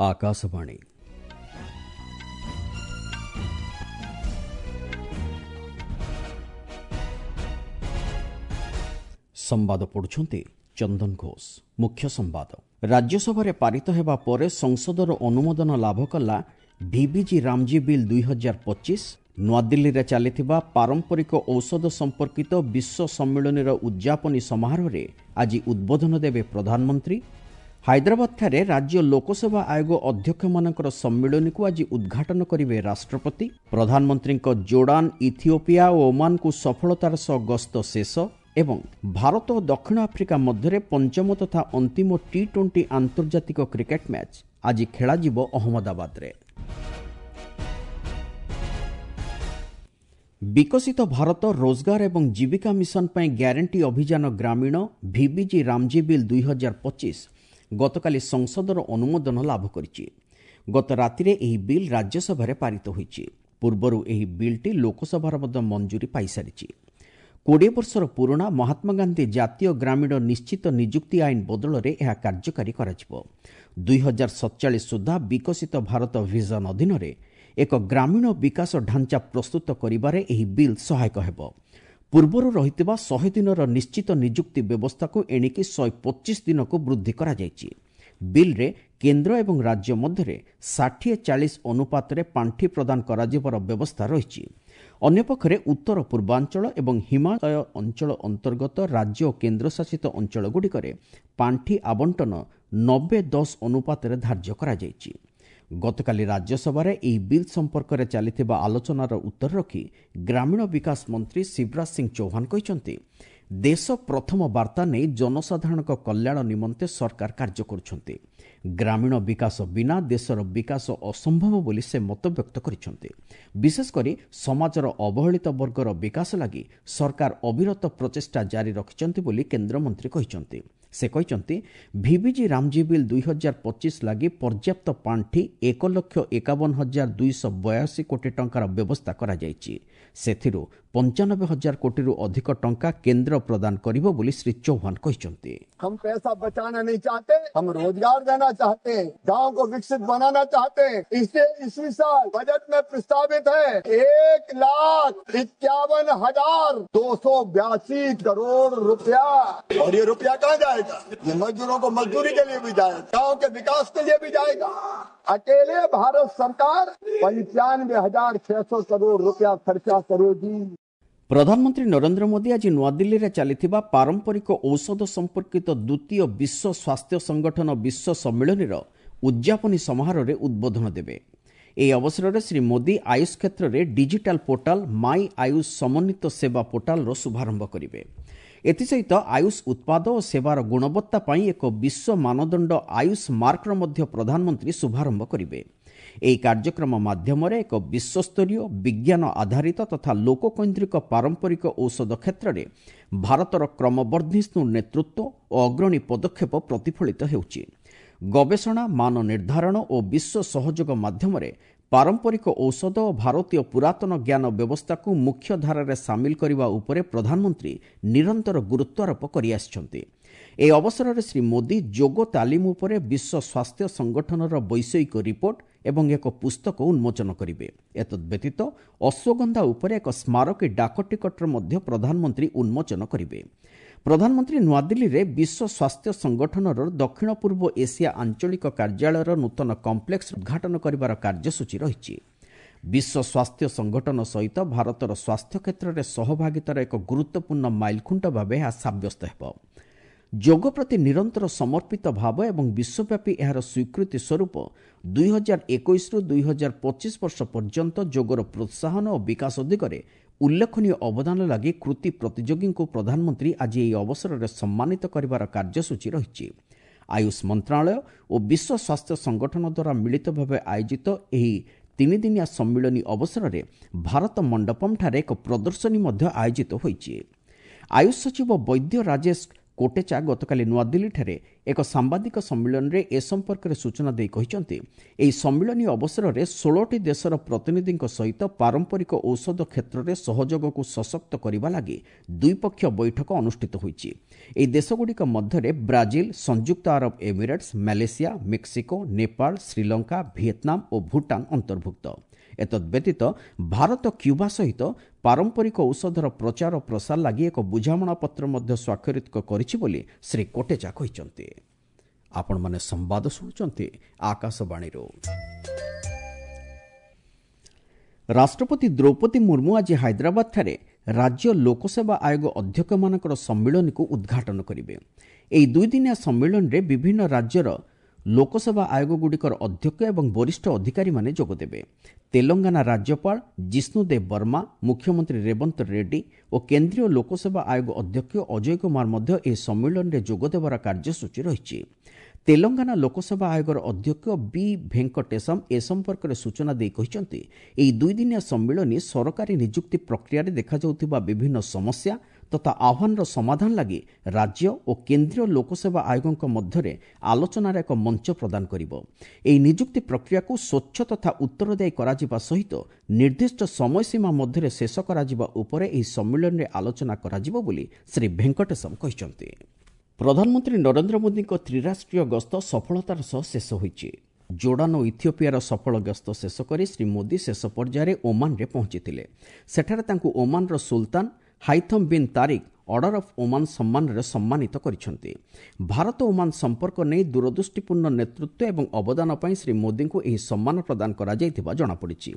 ଆକାଶବାଣୀ। ସମ୍ବାଦ ପଢୁଛନ୍ତି ଚନ୍ଦନ ଘୋଷ। ମୁଖ୍ୟ ସମ୍ବାଦ। ରାଜ୍ୟସଭାରେ ପାରିତ ହେବା ପରେ ସଂସଦର ଅନୁମୋଦନ ଲାଭ କଲା ଭିବିଜି ରାମଜୀ ବିଲ୍ 2025। ନୂଆଦିଲ୍ଲୀରେ ଚାଲିଥିବା ପାରମ୍ପରିକ ଔଷଧ ସମ୍ପର୍କିତ ବିଶ୍ୱ ସମ୍ମିଳନୀର ଉଦ୍ଯାପନୀ ସମାରୋହରେ ଆଜି ଉଦ୍ବୋଧନ ଦେବେ ପ୍ରଧାନମନ୍ତ୍ରୀ। ହାଇଦ୍ରାବାଦଠାରେ ରାଜ୍ୟ ଲୋକସେବା ଆୟୋଗ ଅଧ୍ୟକ୍ଷମାନଙ୍କର ସମ୍ମିଳନୀକୁ ଆଜି ଉଦ୍ଘାଟନ କରିବେ ରାଷ୍ଟ୍ରପତି। ପ୍ରଧାନମନ୍ତ୍ରୀଙ୍କ ଜୋର୍ଡାନ, ଇଥିଓପିଆ ଓ ଓମାନକୁ ସଫଳତାର ସହ ଗସ୍ତ ଶେଷ। ଏବଂ ଭାରତ ଓ ଦକ୍ଷିଣ ଆଫ୍ରିକା ମଧ୍ୟରେ ପଞ୍ଚମ ତଥା ଅନ୍ତିମ ଟି-20 ଆନ୍ତର୍ଜାତିକ କ୍ରିକେଟ୍ ମ୍ୟାଚ୍ ଆଜି ଖେଳାଯିବ ଅହମ୍ମଦାବାଦରେ। ବିକଶିତ ଭାରତ ରୋଜଗାର ଏବଂ ଜୀବିକା ମିଶନ ପାଇଁ ଗ୍ୟାରେଣ୍ଟି ଅଭିଯାନ ଗ୍ରାମୀଣ ଭିବିଜି ରାମଜୀ ବିଲ୍ 2025 ଗତକାଲି ସଂସଦର ଅନୁମୋଦନ ଲାଭ କରିଛି। ଗତ ରାତିରେ ଏହି ବିଲ୍ ରାଜ୍ୟସଭାରେ ପାରିତ ହୋଇଛି। ପୂର୍ବରୁ ଏହି ବିଲ୍ଟି ଲୋକସଭାର ମଧ୍ୟ ମଞ୍ଜୁରୀ ପାଇସାରିଛି। 20 ବର୍ଷର ପୁରୁଣା ମହାତ୍ମାଗାନ୍ଧୀ ଜାତୀୟ ଗ୍ରାମୀଣ ନିଶ୍ଚିତ ନିଯୁକ୍ତି ଆଇନ ବଦଳରେ ଏହା କାର୍ଯ୍ୟକାରୀ କରାଯିବ। 2047 ସୁଦ୍ଧା ବିକଶିତ ଭାରତ ଭିଜନ ଅଧୀନରେ ଏକ ଗ୍ରାମୀଣ ବିକାଶ ଢାଞ୍ଚା ପ୍ରସ୍ତୁତ କରିବାରେ ଏହି ବିଲ୍ ସହାୟକ ହେବ। ପୂର୍ବରୁ ରହିଥିବା 100 ଦିନର ନିଶ୍ଚିତ ନିଯୁକ୍ତି ବ୍ୟବସ୍ଥାକୁ ଏଣିକି 125 ଦିନକୁ ବୃଦ୍ଧି କରାଯାଇଛି। ବିଲ୍ରେ କେନ୍ଦ୍ର ଏବଂ ରାଜ୍ୟ ମଧ୍ୟରେ 60-40 ଅନୁପାତରେ ପାଣ୍ଠି ପ୍ରଦାନ କରାଯିବାର ବ୍ୟବସ୍ଥା ରହିଛି। ଅନ୍ୟପକ୍ଷରେ ଉତ୍ତର ପୂର୍ବାଞ୍ଚଳ ଏବଂ ହିମାଳୟ ଅଞ୍ଚଳ ଅନ୍ତର୍ଗତ ରାଜ୍ୟ ଓ କେନ୍ଦ୍ରଶାସିତ ଅଞ୍ଚଳଗୁଡ଼ିକରେ ପାଣ୍ଠି ଆବଣ୍ଟନ 90-10 ଅନୁପାତରେ ଧାର୍ଯ୍ୟ କରାଯାଇଛି। ଗତକାଲି ରାଜ୍ୟସଭାରେ ଏହି ବିଲ୍ ସମ୍ପର୍କରେ ଚାଲିଥିବା ଆଲୋଚନାର ଉତ୍ତର ରଖି ଗ୍ରାମୀଣ ବିକାଶ ମନ୍ତ୍ରୀ ଶିବରାଜ ସିଂ ଚୌହାନ କହିଛନ୍ତି, ଦେଶ ପ୍ରଥମ ବାର୍ତ୍ତା ନେଇ ଜନସାଧାରଣଙ୍କ କଲ୍ୟାଣ ନିମନ୍ତେ ସରକାର କାର୍ଯ୍ୟ କରୁଛନ୍ତି। ଗ୍ରାମୀଣ ବିକାଶ ବିନା ଦେଶର ବିକାଶ ଅସମ୍ଭବ ବୋଲି ସେ ମତବ୍ୟକ୍ତ କରିଛନ୍ତି। ବିଶେଷକରି ସମାଜର ଅବହେଳିତ ବର୍ଗର ବିକାଶ ଲାଗି ସରକାର ଅବିରତ ପ୍ରଚେଷ୍ଟା ଜାରି ରଖିଛନ୍ତି ବୋଲି କେନ୍ଦ୍ରମନ୍ତ୍ରୀ କହିଛନ୍ତି। ସେ କହିଛନ୍ତି, ଭିବିଜି ରାମଜୀ ବିଲ୍ 2025 ଲାଗି ପର୍ଯ୍ୟାପ୍ତ ପାଣ୍ଠି 1,51,282 କୋଟି ଟଙ୍କାର ବ୍ୟବସ୍ଥା କରାଯାଇଛି। ସେଥିରୁ 95,000 କୋଟିରୁ ଅଧିକ ଟଙ୍କା କେନ୍ଦ୍ର ପ୍ରଦାନ କରିବ ବୋଲି ଶ୍ରୀ ଚୌହାନ କହିଛନ୍ତି। हम पैसा बचाना नहीं चाहते, हम रोजगार देना चाहते हैं, गांव को विकसित बनाना चाहते हैं। इसलिए इसी साल बजट में प्रस्तावित है 1,51,282 करोड़ रुपया। और ये रुपया कहाँ जाएगा? ये मजदूरों को मजदूरी के लिए भी जाएगा, गांव के विकास के लिए भी जाएगा। अकेले भारत सरकार 95,600 करोड़ रुपया खर्चा करेगी। ପ୍ରଧାନମନ୍ତ୍ରୀ ନରେନ୍ଦ୍ର ମୋଦି ଆଜି ନୂଆଦିଲ୍ଲୀରେ ଚାଲିଥିବା ପାରମ୍ପରିକ ଔଷଧ ସମ୍ପର୍କିତ ଦ୍ୱିତୀୟ ବିଶ୍ୱ ସ୍ୱାସ୍ଥ୍ୟ ସଂଗଠନ ବିଶ୍ୱ ସମ୍ମିଳନୀର ଉଦ୍ଯାପନୀ ସମାରୋହରେ ଉଦ୍ବୋଧନ ଦେବେ। ଏହି ଅବସରରେ ଶ୍ରୀ ମୋଦି ଆୟୁଷ କ୍ଷେତ୍ରରେ ଡିଜିଟାଲ ପୋର୍ଟାଲ ମାଇ ଆୟୁଷ ସମନ୍ୱିତ ସେବା ପୋର୍ଟାଲର ଶୁଭାରମ୍ଭ କରିବେ। ଏଥିସହିତ ଆୟୁଷ ଉତ୍ପାଦ ଓ ସେବାର ଗୁଣବତ୍ତା ପାଇଁ ଏକ ବିଶ୍ୱ ମାନଦଣ୍ଡ ଆୟୁଷ ମାର୍କର ମଧ୍ୟ ପ୍ରଧାନମନ୍ତ୍ରୀ ଶୁଭାରମ୍ଭ କରିବେ। ଏହି କାର୍ଯ୍ୟକ୍ରମ ମାଧ୍ୟମରେ ଏକ ବିଶ୍ୱସ୍ତରୀୟ ବିଜ୍ଞାନ ଆଧାରିତ ତଥା ଲୋକକୈନ୍ଦ୍ରିକ ପାରମ୍ପରିକ ଔଷଧ କ୍ଷେତ୍ରରେ ଭାରତର କ୍ରମବର୍ଦ୍ଧିଷ୍ଣୁ ନେତୃତ୍ୱ ଓ ଅଗ୍ରଣୀ ପଦକ୍ଷେପ ପ୍ରତିଫଳିତ ହେଉଛି। ଗବେଷଣା, ମାନ ନିର୍ଦ୍ଧାରଣ ଓ ବିଶ୍ୱ ସହଯୋଗ ମାଧ୍ୟମରେ ପାରମ୍ପରିକ ଔଷଧ ଓ ଭାରତୀୟ ପୁରାତନ ଜ୍ଞାନ ବ୍ୟବସ୍ଥାକୁ ମୁଖ୍ୟ ଧାରାରେ ସାମିଲ କରିବା ଉପରେ ପ୍ରଧାନମନ୍ତ୍ରୀ ନିରନ୍ତର ଗୁରୁତ୍ୱାରୋପ କରିଆସିଛନ୍ତି। ଏହି ଅବସରରେ ଶ୍ରୀ ମୋଦି ଯୋଗ ତାଲିମ ଉପରେ ବିଶ୍ୱ ସ୍ୱାସ୍ଥ୍ୟ ସଂଗଠନର ବୈଷୟିକ ରିପୋର୍ଟ ଏବଂ ଏକ ପୁସ୍ତକ ଉନ୍ମୋଚନ କରିବେ। ଏତଦ୍ବ୍ୟତୀତ ଅଶ୍ୱଗନ୍ଧା ଉପରେ ଏକ ସ୍ମାରକୀ ଡାକ ଟିକଟର ମଧ୍ୟ ପ୍ରଧାନମନ୍ତ୍ରୀ ଉନ୍ମୋଚନ କରିବେ। ପ୍ରଧାନମନ୍ତ୍ରୀ ନୂଆଦିଲ୍ଲୀରେ ବିଶ୍ୱ ସ୍ୱାସ୍ଥ୍ୟ ସଂଗଠନର ଦକ୍ଷିଣ ପୂର୍ବ ଏସିଆ ଆଞ୍ଚଳିକ କାର୍ଯ୍ୟାଳୟର ନୂତନ କମ୍ପ୍ଲେକ୍ସ ଉଦ୍ଘାଟନ କରିବାର କାର୍ଯ୍ୟସୂଚୀ ରହିଛି। ବିଶ୍ୱ ସ୍ୱାସ୍ଥ୍ୟ ସଂଗଠନ ସହିତ ଭାରତର ସ୍ୱାସ୍ଥ୍ୟ କ୍ଷେତ୍ରରେ ସହଭାଗିତାର ଏକ ଗୁରୁତ୍ୱପୂର୍ଣ୍ଣ ମାଇଲଖୁଣ୍ଟ ଭାବେ ଏହା ସାବ୍ୟସ୍ତ ହେବ। ଯୋଗ ପ୍ରତି ନିରନ୍ତର ସମର୍ପିତ ଭାବ ଏବଂ ବିଶ୍ୱବ୍ୟାପୀ ଏହାର ସ୍ୱୀକୃତି ସ୍ୱରୂପ 2021ରୁ 2025 ବର୍ଷ ପର୍ଯ୍ୟନ୍ତ ଯୋଗର ପ୍ରୋତ୍ସାହନ ଓ ବିକାଶ ଦିଗରେ ଉଲ୍ଲେଖନୀୟ ଅବଦାନ ଲାଗି କୃତି ପ୍ରତିଯୋଗୀଙ୍କୁ ପ୍ରଧାନମନ୍ତ୍ରୀ ଆଜି ଏହି ଅବସରରେ ସମ୍ମାନିତ କରିବାର କାର୍ଯ୍ୟସୂଚୀ ରହିଛି। ଆୟୁଷ ମନ୍ତ୍ରଣାଳୟ ଓ ବିଶ୍ୱ ସ୍ୱାସ୍ଥ୍ୟ ସଂଗଠନ ଦ୍ୱାରା ମିଳିତ ଭାବେ ଆୟୋଜିତ ଏହି ତିନିଦିନିଆ ସମ୍ମିଳନୀ ଅବସରରେ ଭାରତ ମଣ୍ଡପମଠାରେ ଏକ ପ୍ରଦର୍ଶନୀ ମଧ୍ୟ ଆୟୋଜିତ ହୋଇଛି। ଆୟୁଷ ସଚିବ ବୈଦ୍ୟ ରାଜେଶ କୋଟେଚା ଗତକାଲି ନୂଆଦିଲ୍ଲୀଠାରେ ଏକ ସାମ୍ବାଦିକ ସମ୍ମିଳନୀରେ ଏ ସମ୍ପର୍କରେ ସୂଚନା ଦେଇ କହିଛନ୍ତି, ଏହି ସମ୍ମିଳନୀ ଅବସରରେ 16ଟି ଦେଶର ପ୍ରତିନିଧିଙ୍କ ସହିତ ପାରମ୍ପରିକ ଔଷଧ କ୍ଷେତ୍ରରେ ସହଯୋଗକୁ ସଶକ୍ତ କରିବା ଲାଗି ଦ୍ୱିପକ୍ଷୀୟ ବୈଠକ ଅନୁଷ୍ଠିତ ହୋଇଛି। ଏହି ଦେଶଗୁଡ଼ିକ ମଧ୍ୟରେ ବ୍ରାଜିଲ, ସଂଯୁକ୍ତ Arab Emirates, Malaysia, Mexico, Nepal, Sri Lanka, Vietnam ଓ ଭୁଟାନ ଅନ୍ତର୍ଭୁକ୍ତ। ଏତଦ୍ବ୍ୟତୀତ ଭାରତ କ୍ୟୁବା ସହିତ ପାରମ୍ପରିକ ଔଷଧର ପ୍ରଚାର ଓ ପ୍ରସାର ଲାଗି ଏକ ବୁଝାମଣାପତ୍ର ମଧ୍ୟ ସ୍ୱାକ୍ଷରିତ କରିଛି ବୋଲି ଶ୍ରୀ କୋଟେଚା କହିଛନ୍ତି। ଆପଣମାନେ ସମ୍ବାଦ ଶୁଣୁଛନ୍ତି ଆକାଶବାଣୀରୁ। ରାଷ୍ଟ୍ରପତି ଦ୍ରୌପଦୀ ମୁର୍ମୁ ଆଜି ହାଇଦ୍ରାବାଦଠାରେ ରାଜ୍ୟ ଲୋକସେବା ଆୟୋଗ ଅଧ୍ୟକ୍ଷମାନଙ୍କର ସମ୍ମିଳନୀକୁ ଉଦ୍ଘାଟନ କରିବେ। ଏହି ଦୁଇଦିନିଆ ସମ୍ମିଳନୀରେ ବିଭିନ୍ନ ରାଜ୍ୟର ଲୋକସେବା ଆୟୋଗଗୁଡ଼ିକର ଅଧ୍ୟକ୍ଷ ଏବଂ ବରିଷ୍ଠ ଅଧିକାରୀମାନେ ଯୋଗଦେବେ। ତେଲଙ୍ଗାନା ରାଜ୍ୟପାଳ ଜିଷ୍ଣୁଦେବ ବର୍ମା, ମୁଖ୍ୟମନ୍ତ୍ରୀ ରେବନ୍ତ ରେଡ୍ଡି ଓ କେନ୍ଦ୍ରୀୟ ଲୋକସେବା ଆୟୋଗ ଅଧ୍ୟକ୍ଷ ଅଜୟ କୁମାର ମଧ୍ୟ ଏହି ସମ୍ମିଳନୀରେ ଯୋଗଦେବାର କାର୍ଯ୍ୟସୂଚୀ ରହିଛି। ତେଲଙ୍ଗାନା ଲୋକସେବା ଆୟୋଗର ଅଧ୍ୟକ୍ଷ ବି ଭେଙ୍କଟେଶମ ଏ ସମ୍ପର୍କରେ ସୂଚନା ଦେଇ କହିଛନ୍ତି, ଏହି ଦୁଇଦିନିଆ ସମ୍ମିଳନୀ ସରକାରୀ ନିଯୁକ୍ତି ପ୍ରକ୍ରିୟାରେ ଦେଖାଯାଉଥିବା ବିଭିନ୍ନ ସମସ୍ୟା ତଥା ଆହ୍ୱାନର ସମାଧାନ ଲାଗି ରାଜ୍ୟ ଓ କେନ୍ଦ୍ରୀୟ ଲୋକସେବା ଆୟୋଗଙ୍କ ମଧ୍ୟରେ ଆଲୋଚନାର ଏକ ମଞ୍ଚ ପ୍ରଦାନ କରିବ। ଏହି ନିଯୁକ୍ତି ପ୍ରକ୍ରିୟାକୁ ସ୍ୱଚ୍ଛ ତଥା ଉତ୍ତରଦାୟୀ କରାଯିବା ସହିତ ନିର୍ଦ୍ଦିଷ୍ଟ ସମୟସୀମା ମଧ୍ୟରେ ଶେଷ କରାଯିବା ଉପରେ ଏହି ସମ୍ମିଳନୀରେ ଆଲୋଚନା କରାଯିବ ବୋଲି ଶ୍ରୀ ଭେଙ୍କଟେଶମ କହିଛନ୍ତି। ପ୍ରଧାନମନ୍ତ୍ରୀ ନରେନ୍ଦ୍ର ମୋଦିଙ୍କ ତ୍ରିରାଷ୍ଟ୍ରୀୟ ଗସ୍ତ ସଫଳତାର ସହ ଶେଷ ହୋଇଛି। ଜୋର୍ଡାନ ଓ ଇଥିଓପିଆର ସଫଳ ଗସ୍ତ ଶେଷ କରି ଶ୍ରୀ ମୋଦି ଶେଷ ପର୍ଯ୍ୟାୟରେ ଓମାନରେ ପହଞ୍ଚିଥିଲେ। ସେଠାରେ ତାଙ୍କୁ ଓମାନର ସୁଲତାନ Haitham bin Tariq Order of Oman ସମ୍ମାନରେ ସମ୍ମାନିତ କରିଛନ୍ତି। ଭାରତ ଓମାନ ସମ୍ପର୍କ ନେଇ ଦୂରଦୃଷ୍ଟିପୂର୍ଣ୍ଣ ନେତୃତ୍ୱ ଏବଂ ଅବଦାନ ପାଇଁ ଶ୍ରୀ ମୋଦିଙ୍କୁ ଏହି ସମ୍ମାନ ପ୍ରଦାନ କରାଯାଇଥିବା ଜଣାପଡ଼ିଛି।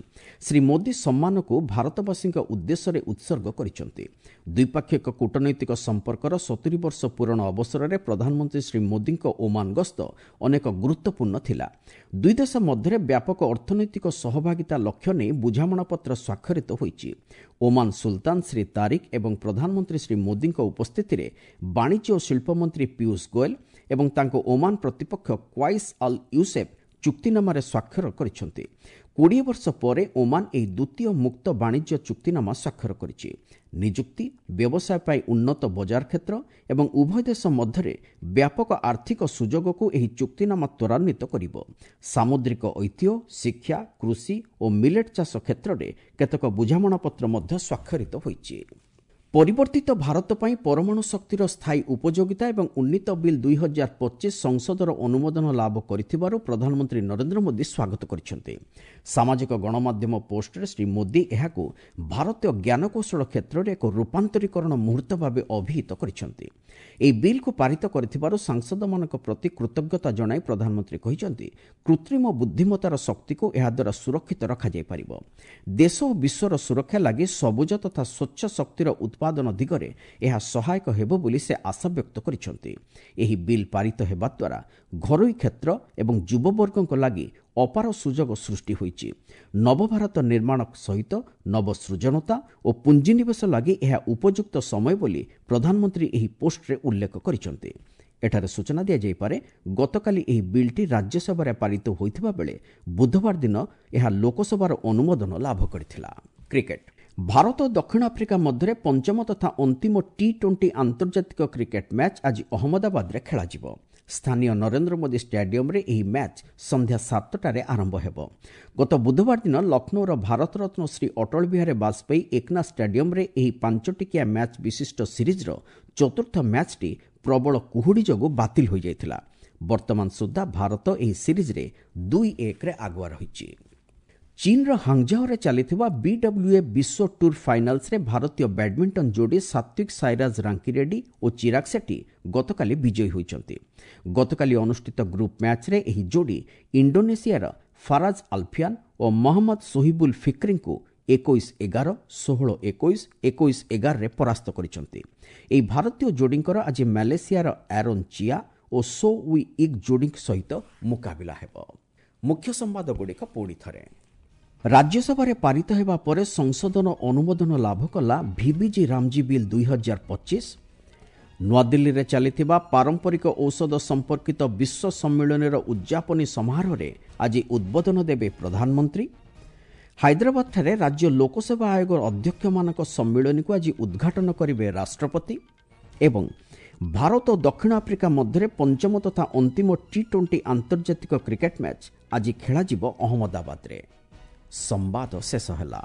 ଶ୍ରୀ ମୋଦି ସମ୍ମାନକୁ ଭାରତବାସୀଙ୍କ ଉଦ୍ଦେଶ୍ୟରେ ଉତ୍ସର୍ଗ କରିଛନ୍ତି। ଦ୍ୱିପାକ୍ଷିକ କୂଟନୈତିକ ସମ୍ପର୍କର 70 ବର୍ଷ ପୂରଣ ଅବସରରେ ପ୍ରଧାନମନ୍ତ୍ରୀ ଶ୍ରୀ ମୋଦିଙ୍କ ଓମାନ ଗସ୍ତ ଅନେକ ଗୁରୁତ୍ୱପୂର୍ଣ୍ଣ ଥିଲା। ଦୁଇ ଦେଶ ମଧ୍ୟରେ ବ୍ୟାପକ ଅର୍ଥନୈତିକ ସହଭାଗିତା ଲକ୍ଷ୍ୟ ନେଇ ବୁଝାମଣାପତ୍ର ସ୍ୱାକ୍ଷରିତ ହୋଇଛି। ଓମାନ ସୁଲତାନ ଶ୍ରୀ ତାରିକ ଏବଂ ପ୍ରଧାନମନ୍ତ୍ରୀ ଶ୍ରୀ ମୋଦିଙ୍କ ଉପସ୍ଥିତିରେ ବାଣିଜ୍ୟ ଓ ଶିଳ୍ପମନ୍ତ୍ରୀ ପୀୟୁଷ ଗୋଏଲ ଏବଂ ତାଙ୍କ ଓମାନ ପ୍ରତିପକ୍ଷ କ୍ୱାଇସ୍ ଅଲ୍ ୟୁସେଫ୍ ଚୁକ୍ତିନାମାରେ ସ୍ୱାକ୍ଷର କରିଛନ୍ତି। 20 ବର୍ଷ ପରେ ଓମାନ ଏହି ଦ୍ୱିତୀୟ ମୁକ୍ତ ବାଣିଜ୍ୟ ଚୁକ୍ତିନାମା ସ୍ୱାକ୍ଷର କରିଛି। ନିଯୁକ୍ତି, ବ୍ୟବସାୟ ପାଇଁ ଉନ୍ନତ ବଜାର କ୍ଷେତ୍ର ଏବଂ ଉଭୟ ଦେଶ ମଧ୍ୟରେ ବ୍ୟାପକ ଆର୍ଥିକ ସୁଯୋଗକୁ ଏହି ଚୁକ୍ତିନାମା ତ୍ୱରାନ୍ୱିତ କରିବ। ସାମୁଦ୍ରିକ ଐତିହ୍ୟ, ଶିକ୍ଷା, କୃଷି ଓ ମିଲେଟ୍ ଚାଷ କ୍ଷେତ୍ରରେ କେତେକ ବୁଝାମଣାପତ୍ର ମଧ୍ୟ ସ୍ୱାକ୍ଷରିତ ହୋଇଛି। ପରିବର୍ତ୍ତିତ ଭାରତ ପାଇଁ ପରମାଣୁ ଶକ୍ତିର ସ୍ଥାୟୀ ଉପଯୋଗିତା ଏବଂ ଉନ୍ନୀତ ବିଲ୍ 2025 ସଂସଦର ଅନୁମୋଦନ ଲାଭ କରିଥିବାରୁ ପ୍ରଧାନମନ୍ତ୍ରୀ ନରେନ୍ଦ୍ର ମୋଦି ସ୍ୱାଗତ କରିଛନ୍ତି। ସାମାଜିକ ଗଣମାଧ୍ୟମ ପୋଷ୍ଟରେ ଶ୍ରୀ ମୋଦି ଏହାକୁ ଭାରତୀୟ ଜ୍ଞାନକୌଶଳ କ୍ଷେତ୍ରରେ ଏକ ରୂପାନ୍ତରୀକରଣ ମୁହୂର୍ତ୍ତ ଭାବେ ଅଭିହିତ କରିଛନ୍ତି। ଏହି ବିଲ୍କୁ ପାରିତ କରିଥିବାରୁ ସାଂସଦମାନଙ୍କ ପ୍ରତି କୃତଜ୍ଞତା ଜଣାଇ ପ୍ରଧାନମନ୍ତ୍ରୀ କହିଛନ୍ତି, କୃତ୍ରିମ ବୁଦ୍ଧିମତ୍ତାର ଶକ୍ତିକୁ ଏହାଦ୍ୱାରା ସୁରକ୍ଷିତ ରଖାଯାଇପାରିବ। ଦେଶ ଓ ବିଶ୍ୱର ସୁରକ୍ଷା ଲାଗି ସବୁଜ ତଥା ସ୍ୱଚ୍ଛ ଶକ୍ତିର ଉତ୍ପାଦନ ଦିଗରେ ଏହା ସହାୟକ ହେବ ବୋଲି ସେ ଆଶାବ୍ୟକ୍ତ କରିଛନ୍ତି। ଏହି ବିଲ୍ ପାରିତ ହେବା ଦ୍ୱାରା ଘରୋଇ କ୍ଷେତ୍ର ଏବଂ ଯୁବବର୍ଗଙ୍କ ଲାଗି ଅପାର ସୁଯୋଗ ସୃଷ୍ଟି ହୋଇଛି। ନବଭାରତ ନିର୍ମାଣ ସହିତ ନବସୃଜନତା ଓ ପୁଞ୍ଜିନିବେଶ ଲାଗି ଏହା ଉପଯୁକ୍ତ ସମୟ ବୋଲି ପ୍ରଧାନମନ୍ତ୍ରୀ ଏହି ପୋଷ୍ଟରେ ଉଲ୍ଲେଖ କରିଛନ୍ତି। ଏଠାରେ ସୂଚନା ଦିଆଯାଇପାରେ, ଗତକାଲି ଏହି ବିଲ୍ଟି ରାଜ୍ୟସଭାରେ ପାରିତ ହୋଇଥିବା ବେଳେ ବୁଧବାର ଦିନ ଏହା ଲୋକସଭାର ଅନୁମୋଦନ ଲାଭ କରିଥିଲା। କ୍ରିକେଟ। ଭାରତ ଓ ଦକ୍ଷିଣ ଆଫ୍ରିକା ମଧ୍ୟରେ ପଞ୍ଚମ ତଥା ଅନ୍ତିମ ଟି-20 ଆନ୍ତର୍ଜାତିକ କ୍ରିକେଟ ମ୍ୟାଚ୍ ଆଜି ଅହମ୍ମଦାବାଦରେ ଖେଳାଯିବ। ସ୍ଥାନୀୟ ନରେନ୍ଦ୍ର ମୋଦି ଷ୍ଟାଡିୟମରେ ଏହି ମ୍ୟାଚ୍ ସନ୍ଧ୍ୟା 7ଟାରେ ଆରମ୍ଭ ହେବ। ଗତ ବୁଧବାର ଦିନ ଲକ୍ଷ୍ନୌର ଭାରତରତ୍ନ ଶ୍ରୀ ଅଟଳ ବିହାରୀ ବାଜପେୟୀ ଏକନା ଷ୍ଟାଡିୟମରେ ଏହି 5ଟିକିଆ ମ୍ୟାଚ୍ ବିଶିଷ୍ଟ ସିରିଜ୍ର ଚତୁର୍ଥ ମ୍ୟାଚ୍ଟି ପ୍ରବଳ କୁହୁଡ଼ି ଯୋଗୁଁ ବାତିଲ ହୋଇଯାଇଥିଲା। ବର୍ତ୍ତମାନ ସୁଦ୍ଧା ଭାରତ ଏହି ସିରିଜ୍ରେ 2-1ରେ ଆଗୁଆ ରହିଛି। ଚୀନ୍ର ହାଙ୍ଗଝାଓରେ ଚାଲିଥିବା ବିଡବ୍ଲ୍ୟୁଏଫ୍ ବିଶ୍ୱ ଟୁର୍ ଫାଇନାଲ୍ସରେ ଭାରତୀୟ ବ୍ୟାଡମିଣ୍ଟନ ଯୋଡ଼ି ସାତ୍ୱିକ ସାଇରାଜ ରାଙ୍କିରେଡ୍ଡି ଓ ଚିରାଗ ସେଟ୍ଟି ଗତକାଲି ବିଜୟୀ ହୋଇଛନ୍ତି। ଗତକାଲି ଅନୁଷ୍ଠିତ ଗ୍ରୁପ୍ ମ୍ୟାଚ୍ରେ ଏହି ଯୋଡ଼ି ଇଣ୍ଡୋନେସିଆର ଫାରାଜ ଆଲଫିଆନ୍ ଓ ମହମ୍ମଦ ସୋହିବୁଲ ଫିକ୍ରିଙ୍କୁ 21-11, 16-21, 21-11ରେ ପରାସ୍ତ କରିଛନ୍ତି। ଏହି ଭାରତୀୟ ଯୋଡ଼ିଙ୍କର ଆଜି ମାଲେସିଆର ଆରୋନ୍ ଚିଆ ଓ ସୋ we ଇକ୍ ଯୋଡ଼ିଙ୍କ ସହିତ ମୁକାବିଲା ହେବ। ମୁଖ୍ୟ ସମ୍ବାଦଗୁଡ଼ିକ ପୁଣି ଥରେ। ରାଜ୍ୟସଭାରେ ପାରିତ ହେବା ପରେ ସଂଶୋଧନ ଅନୁମୋଦନ ଲାଭ କଲା ଭିବିଜି ରାମଜୀ ବିଲ୍ 2025। ନୂଆଦିଲ୍ଲୀରେ ଚାଲିଥିବା ପାରମ୍ପରିକ ଔଷଧ ସମ୍ପର୍କିତ ବିଶ୍ୱ ସମ୍ମିଳନୀର ଉଦ୍ଯାପନୀ ସମାରୋହରେ ଆଜି ଉଦ୍ବୋଧନ ଦେବେ ପ୍ରଧାନମନ୍ତ୍ରୀ। ହାଇଦ୍ରାବାଦଠାରେ ରାଜ୍ୟ ଲୋକସେବା ଆୟୋଗର ଅଧ୍ୟକ୍ଷମାନଙ୍କ ସମ୍ମିଳନୀକୁ ଆଜି ଉଦ୍ଘାଟନ କରିବେ ରାଷ୍ଟ୍ରପତି। ଏବଂ ଭାରତ ଓ ଦକ୍ଷିଣ ଆଫ୍ରିକା ମଧ୍ୟରେ ପଞ୍ଚମ ତଥା ଅନ୍ତିମ ଟି-20 ଆନ୍ତର୍ଜାତିକ କ୍ରିକେଟ୍ ମ୍ୟାଚ୍ ଆଜି ଖେଳାଯିବ ଅହମ୍ମଦାବାଦରେ। ସମ୍ବାଦ ଶେଷ ହେଲା।